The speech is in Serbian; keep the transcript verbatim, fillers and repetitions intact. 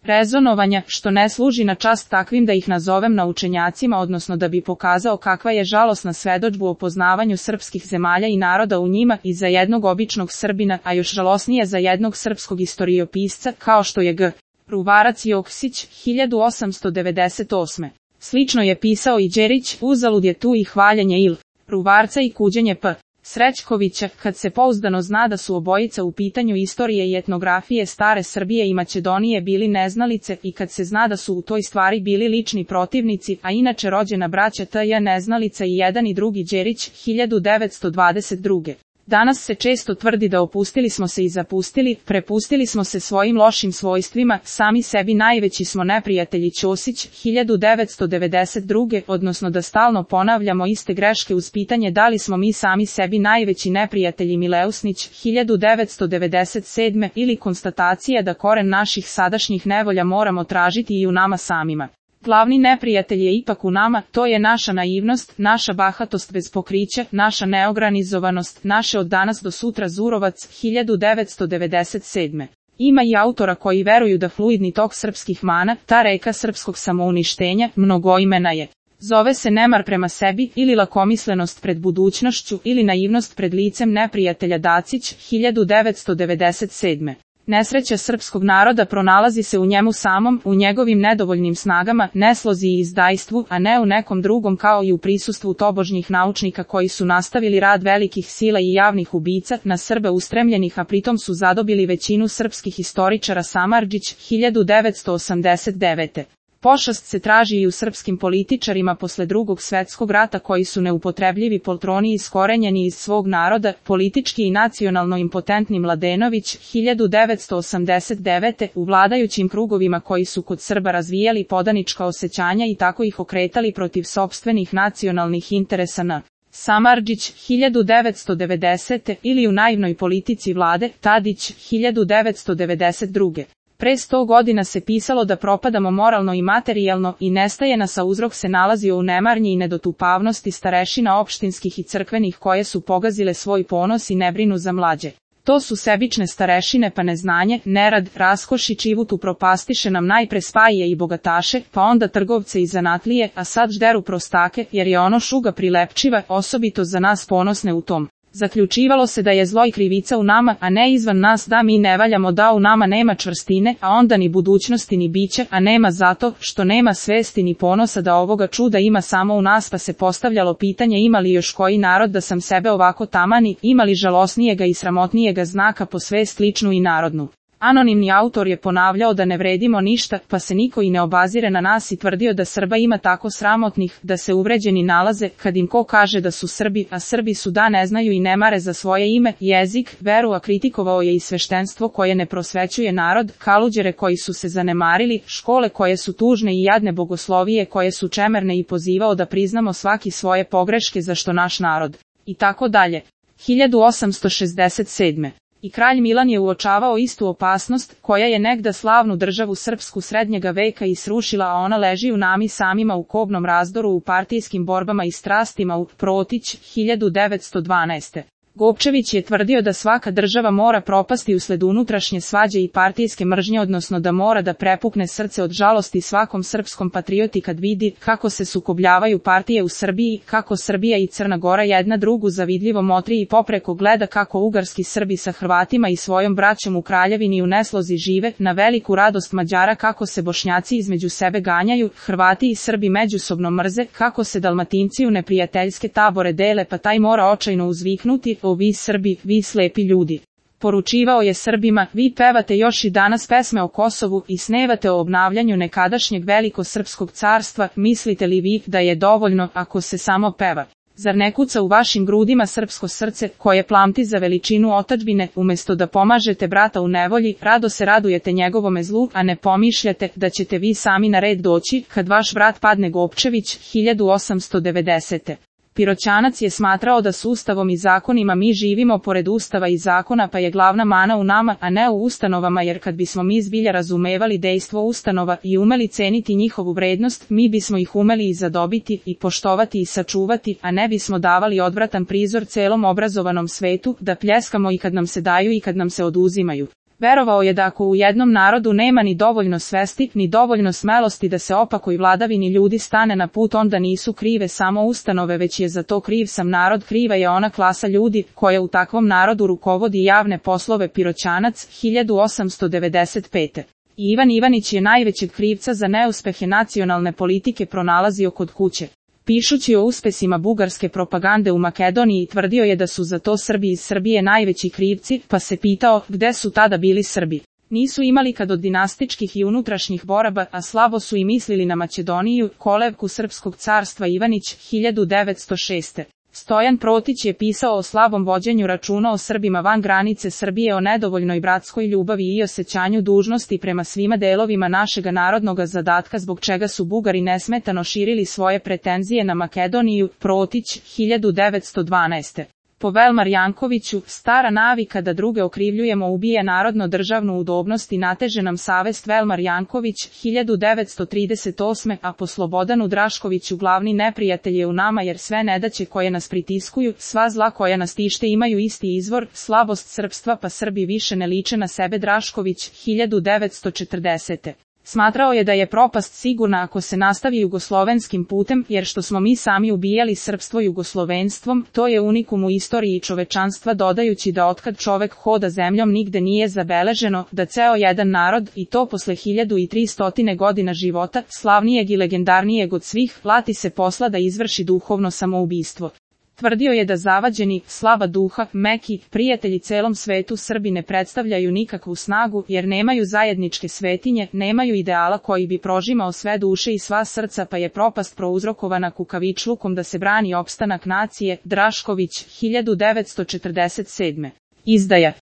rezonovanja, što ne služi na čast takvim da ih nazovem naučenjacima, odnosno da bi pokazao kakva je žalosna svedodžbu o poznavanju srpskih zemalja i naroda u njima i za jednog običnog Srbina, a još žalosnije za jednog srpskog istoriopisca, kao što je G. Ruvarac Joksić, hiljadu osamsto devedeset osme. Slično je pisao i Đerić, uzalud je tu i hvaljenje il. Ruvarca i kuđenje P. Srećkovića, kad se pouzdano zna da su obojica u pitanju istorije i etnografije stare Srbije i Makedonije bili neznalice i kad se zna da su u toj stvari bili lični protivnici, a inače rođena braća T J neznalica i jedan i drugi Đerić, hiljadu devetsto dvadeset druge. Danas se često tvrdi da opustili smo se i zapustili, prepustili smo se svojim lošim svojstvima, sami sebi najveći smo neprijatelji Ćosić, hiljadu devetsto devedeset druge, odnosno da stalno ponavljamo iste greške uz pitanje da li smo mi sami sebi najveći neprijatelji Mileusnić, hiljadu devetsto devedeset sedme, ili konstatacija da koren naših sadašnjih nevolja moramo tražiti i u nama samima. Glavni neprijatelj je ipak u nama, to je naša naivnost, naša bahatost bez pokrića, naša neorganizovanost, naše od danas do sutra Zurovac, hiljadu devetsto devedeset sedme. Ima i autora koji veruju da fluidni tok srpskih mana, ta reka srpskog samouništenja, mnogoimena je. Zove se nemar prema sebi, ili lakomislenost pred budućnošću, ili naivnost pred licem neprijatelja Dacić, hiljadu devetsto devedeset sedme. Nesreća srpskog naroda pronalazi se u njemu samom, u njegovim nedovoljnim snagama, neslozi i izdajstvu, a ne u nekom drugom kao i u prisustvu tobožnjih naučnika koji su nastavili rad velikih sila i javnih ubica, na Srbe ustremljenih, a pritom su zadobili većinu srpskih istoričara. Samardžić, hiljadu devetsto osamdeset devete. Pošast se traži i u srpskim političarima posle drugog svetskog rata koji su neupotrebljivi poltroni iskorenjeni iz svog naroda, politički i nacionalno impotentni Mladenović, hiljadu devetsto osamdeset devete. u vladajućim krugovima koji su kod Srba razvijali podanička osjećanja i tako ih okretali protiv sopstvenih nacionalnih interesa. N. Samardžić, hiljadu devetsto devedesete. ili u naivnoj politici vlade, Tadić, hiljadu devetsto devedeset druge. Pre sto godina se pisalo da propadamo moralno i materijalno i nestaje nas, a uzrok se nalazio u nemarnji i nedotupavnosti starešina opštinskih i crkvenih koje su pogazile svoj ponos i ne brinu za mlađe. To su sebične starešine, pa neznanje, nerad, raskoš i čivut upropastiše nam najpre spajije i bogataše, pa onda trgovce i zanatlije, a sad žderu prostake, jer je ono šuga prilepčiva, osobito za nas ponosne u tom. Zaključivalo se da je zlo i krivica u nama, a ne izvan nas, da mi ne valjamo, da u nama nema čvrstine, a onda ni budućnosti ni bića, a nema zato što nema svesti ni ponosa da ovoga čuda ima samo u nas, pa se postavljalo pitanje ima li još koji narod da sam sebe ovako tamani, ima li žalosnijega i sramotnijega znaka po svest ličnu i narodnu. Anonimni autor je ponavljao da ne vredimo ništa, pa se niko i ne obazire na nas i tvrdio da Srba ima tako sramotnih, da se uvređeni nalaze, kad im ko kaže da su Srbi, a Srbi su da ne znaju i ne mare za svoje ime, jezik, veru, a kritikovao je i sveštenstvo koje ne prosvećuje narod, kaluđere koji su se zanemarili, škole koje su tužne i jadne, bogoslovije koje su čemerne i pozivao da priznamo svaki svoje pogreške za što naš narod. I tako dalje. hiljadu osamsto šezdeset sedme. I kralj Milan je uočavao istu opasnost, koja je negda slavnu državu srpsku srednjega veka i srušila, a ona leži u nami samima u kobnom razdoru, u partijskim borbama i strastima. U Protić, hiljadu devetsto dvanaeste. Gopčević je tvrdio da svaka država mora propasti usled unutrašnje svađe i partijske mržnje, odnosno da mora da prepukne srce od žalosti svakom srpskom patrioti kad vidi kako se sukobljavaju partije u Srbiji, kako Srbija i Crna Gora jedna drugu zavidljivo motri i popreko gleda kako ugarski Srbi sa Hrvatima i svojom braćom u Kraljevini u neslozi žive, na veliku radost Mađara kako se Bošnjaci između sebe ganjaju, Hrvati i Srbi međusobno mrze, kako se Dalmatinci u neprijateljske tabore dele, pa taj mora očajno uzviknuti: o vi Srbi, vi slepi ljudi. Poručivao je Srbima: vi pevate još i danas pesme o Kosovu i snevate o obnavljanju nekadašnjeg velikosrpskog carstva, mislite li vi da je dovoljno ako se samo peva? Zar ne kuca u vašim grudima srpsko srce, koje plamti za veličinu otadžbine, umesto da pomažete brata u nevolji, rado se radujete njegovome zlu, a ne pomišljate da ćete vi sami na red doći, kad vaš brat padne? Gopčević, hiljadu osamsto devedesete. Piroćanac je smatrao da s Ustavom i zakonima mi živimo pored Ustava i zakona, pa je glavna mana u nama, a ne u ustanovama, jer kad bismo mi zbilja razumevali dejstvo ustanova i umeli ceniti njihovu vrednost, mi bismo ih umeli i zadobiti, i poštovati i sačuvati, a ne bismo davali odvratan prizor celom obrazovanom svetu, da pljeskamo i kad nam se daju i kad nam se oduzimaju. Verovao je da ako u jednom narodu nema ni dovoljno svesti, ni dovoljno smelosti da se opakoj vladavini ljudi stane na put, onda nisu krive samo ustanove, već je za to kriv sam narod, kriva je ona klasa ljudi koja u takvom narodu rukovodi javne poslove. Piroćanac, hiljadu osamsto devedeset pete. Ivan Ivanić je najvećeg krivca za neuspehe nacionalne politike pronalazio kod kuće. Pišući o uspesima bugarske propagande u Makedoniji, tvrdio je da su za to Srbi iz Srbije najveći krivci, pa se pitao gde su tada bili Srbi. Nisu imali kad od dinastičkih i unutrašnjih boraba, a slabo su i mislili na Makedoniju, kolevku srpskog carstva. Ivanić, hiljadu devetsto šeste. Stojan Protić je pisao o slabom vođenju računa o Srbima van granice Srbije, o nedovoljnoj bratskoj ljubavi i osjećanju dužnosti prema svima delovima našega narodnoga zadatka, zbog čega su Bugari nesmetano širili svoje pretenzije na Makedoniju. Protić, hiljadu devetsto dvanaeste. Po Velmar Jankoviću, stara navika da druge okrivljujemo ubija narodno-državnu udobnost i nateže nam savest. Velmar Janković, hiljadu devetsto trideset osme. A po Slobodanu Draškoviću, glavni neprijatelj je u nama, jer sve nedaće koje nas pritiskuju, sva zla koja nas tište imaju isti izvor, slabost srpstva, pa Srbi više ne liče na sebe. Drašković, hiljadu devetsto četrdesete. Smatrao je da je propast sigurna ako se nastavi jugoslovenskim putem, jer što smo mi sami ubijali srpstvo jugoslovenstvom, to je unikum u istoriji čovečanstva, dodajući da otkad čovek hoda zemljom nigde nije zabeleženo da ceo jedan narod, i to posle hiljadu i tristo godina života, slavnijeg i legendarnijeg od svih, lati se posla da izvrši duhovno samoubistvo. Tvrdio je da zavađeni, slaba duha, meki, prijatelji celom svetu Srbi ne predstavljaju nikakvu snagu, jer nemaju zajedničke svetinje, nemaju ideala koji bi prožimao sve duše i sva srca, pa je propast prouzrokovana kukavičlukom da se brani opstanak nacije. Drašković, hiljadu devetsto četrdeset sedme. Izdaja.